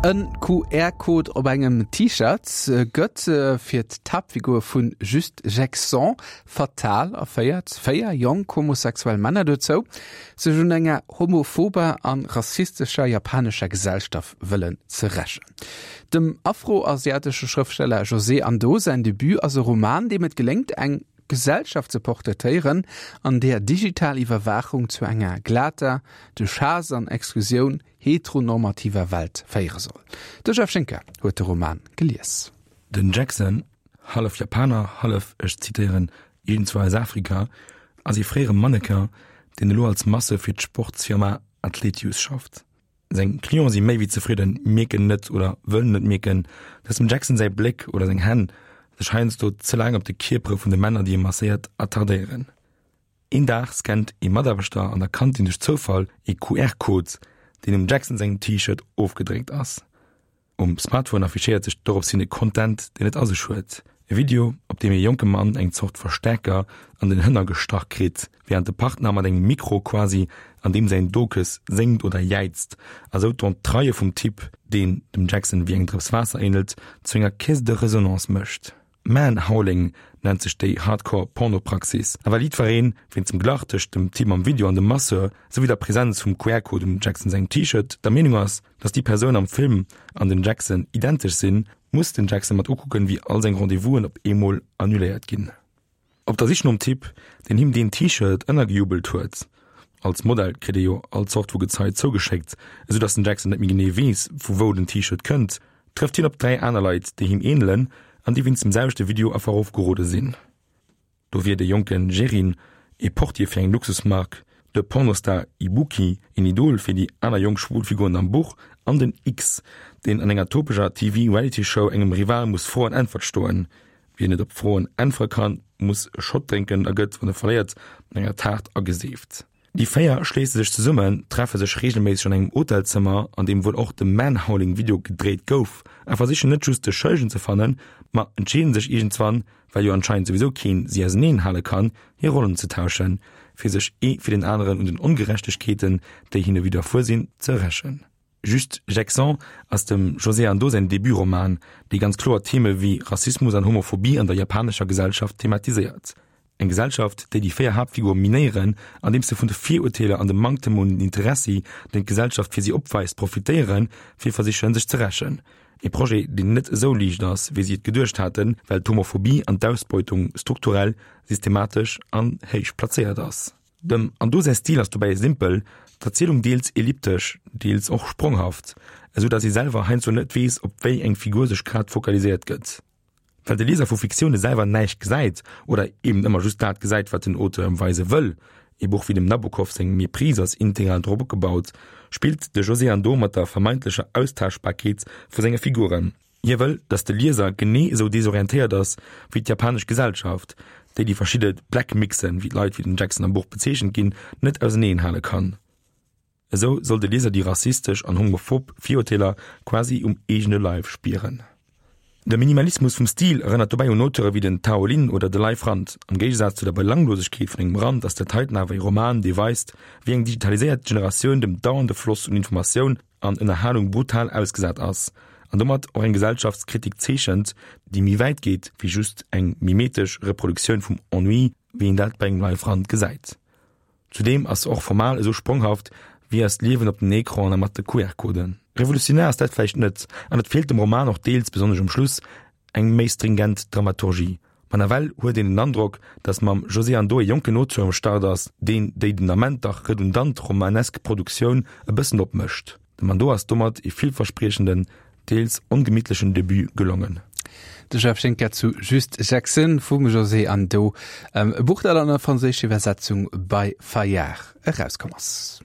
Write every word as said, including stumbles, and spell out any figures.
En Q R-Code op engem T-Shirt gëtt fir d'Haaptfigur vun Juste Jackson fatal a féiert véier jonk homosexuell Männer dozou, sech un enger homophober an rassistescher japanescher Gesellschaft wëllen ze rächen. Dem afroasiatesche Schrëftsteller José Ando säin Debut ass e Roman, deem et geléngt, eng Gesellschaft ze portraitéieren, an där digital Iwwerwaachung zu enger glater, duerch Haass an Exklusioun heteronormativer Welt féiere soll. De Jeff Schinker huet de Roman gelies. Den Jackson, hallef Japaner, hallef, ech zitéieren, iergendzwou aus Afrika, ass ee fréiere Mannequin, deen elo als Masseur fir d'Sportsfirma Athletius schafft. Seng Cliente si méi wéi zefridden, mierken net oder wëllen net mierken, dass dem Jackson säi Bléck oder seng Hänn sech heiansdo ze laang op de Kierpere vun de Männer, déi e masséiert, attardéieren. Een Dag scannt ee Mataarbechter an der Kantin duerch Zoufall ee Q R-Code, deen um Jackson sengem T-Shirt ofgedréckt ass. Um Smartphone affichéiert sech dorops hin e Content, deen et a sech huet. E Video, op deem ee jonke Mann eng Zort Verstäerker an den Hënner gestach kritt, wärend de Partner mat engem Mikro quasi an deem säin Dokes séngt oder jäizt, a sou d'Entraille vum Typ, deen dem Jackson wéi eng Drëps Waasser änelt, zu enger Caisse de résonance mécht. Man-Howling nennt sech déi Hardcore-Pornopraxis. A well jiddwereen, wéinst dem Glach tëscht dem Typ am Video an dem Masseur, souwéi der Presenz vum Q R-Code um Jackson sengem T-Shirt, der Meenung ass, dass déi Persoun am Film an den Jackson identesch sinn, muss den Jackson mat ukucken, wéi all seng Rendez-vousen op eemol annuléiert ginn. Op der Sich nom Typ, deen him deen T-Shirt ënnergejubelt huet, als Modell kritt ee jo all Zort vu Gezei zougeschéckt, esou dass den Jackson net méi genee weess, vu wou den T-Shirt kënnt, trëfft hien op dräi aner Leit, déi him änelen an déi wéinst dem selwechte Video a Verruff gerode sinn. Do wier de jonke Jerin, ee Portier fir eng Luxusmark, de Pornostar Ibuki, een Idol fir déi aner jonk schwul Figuren am Buch, an den X, deen an enger topescher T V-Reality-Show engem Rival muss Fro an Äntwert stoen. Wien net op Froen äntwere kann, muss e Shot drénken a gëtt, wann e verléiert, mat enger Taart ageseeft. Déi véier schléisse sech zesummen, treffe sech reegelméisseg an engem Hotelzëmmer, an deem wuel och de Man-Howling-Video gedréit gouf, a versichen net just de Schëllegen ze fannen, ma entscheeden sech iergendswann, well jo anscheinend souwisou keen si auseneen hale kann, hir Rollen ze tauschen, fir sech ee fir den aneren un den Ongerechtegkeeten, déi hinne widderfuer sinn, ze rächen. Juste Jackson ass dem José Ando säin Debutroman, dee ganz kloer Theme wéi Rassismus an Homophobie an der japanescher Gesellschaft thematiséiert. Eng Gesellschaft, déi déi véier Haaptfigure minéieren, andeems se vun de Virurteeler an dem Manktem un Interessi, deen d'Gesellschaft fir si opweist, profitéieren, fir versichen, sech ze rächen. E Projet, deen net esou liicht ass, wéi si et geduecht haten, well d'Homophobie an d'Ausbeutung strukturell, systematesch an héich plazéiert ass. Dem Ando säi Stil ass dobäi simpel, d'Erzielung deels elliptesch, deels och spronghaft, esou datt ee selwer heiansdo net weess, op wéi eng Figur sech grad fokaliséiert gëtt. Well de Lieser vu Fiktioune selwer näischt gesäit oder eben ëmmer just dat gesäit, wat den Auteur ëm weise wëll, ee Buch wéi dem Nabokov seng Méprise ass integral drop opgebaut, spillt de José Ando mat der vermeintlecher Austauschbarkeet vu senge Figuren. Hie wëll, datt de Lieser genee esou desorientéiert ass wéi d'japanesch Gesellschaft, déi déi verschidde Black Mixen, wéi d'Leit wéi den Jackson am Buch bezeechent ginn, net auseneen hale kann. Esou soll de Lieser déi rassistesch an homophob Virurteeler quasi um eegene Leif spieren. De Minimalismus vum Stil erënnert dobäi un Auteure wéi den Tao Lin oder de Leif Rand. Am Géigesaz zu der Belanglosegkeet vun engem Rand ass dat heiten awer e Roman, dee weist, wéi eng digitaliséiert Generatioun dem dauernde Floss un Informatioun an Ënnerhalung brutal ausgesat ass an domat och eng Gesellschaftskritik zeechent, déi méi wäit geet wéi just eng mimetesch Reproduktioun vum Ennui, wéi een dat bei engem Leif Rand gesäit. Zudeem ass se och formal esou spronghaft wéi eist Liewen op den Ecranen a mat de Q R-Coden. Revolutionär ass dat vläicht net, an et feelt dem Roman och deels, besonnesch um Schluss, eng méi stringent Dramaturgie. Ma nawell huet een den Androck, datt mam José Ando e jonken Auteur um Start ass, deen déi den Ament dach redundant romanesk Produktioun e bëssen opmëscht. Dem Ando ass domat e villverspriechenden, deels ongemittlechen Debut gelongen. De Jeff Schinker zu Juste Jackson vum José Ando, e Buch, dat an der franséischer Iwwersetzung bei Fayard erauskomm ass.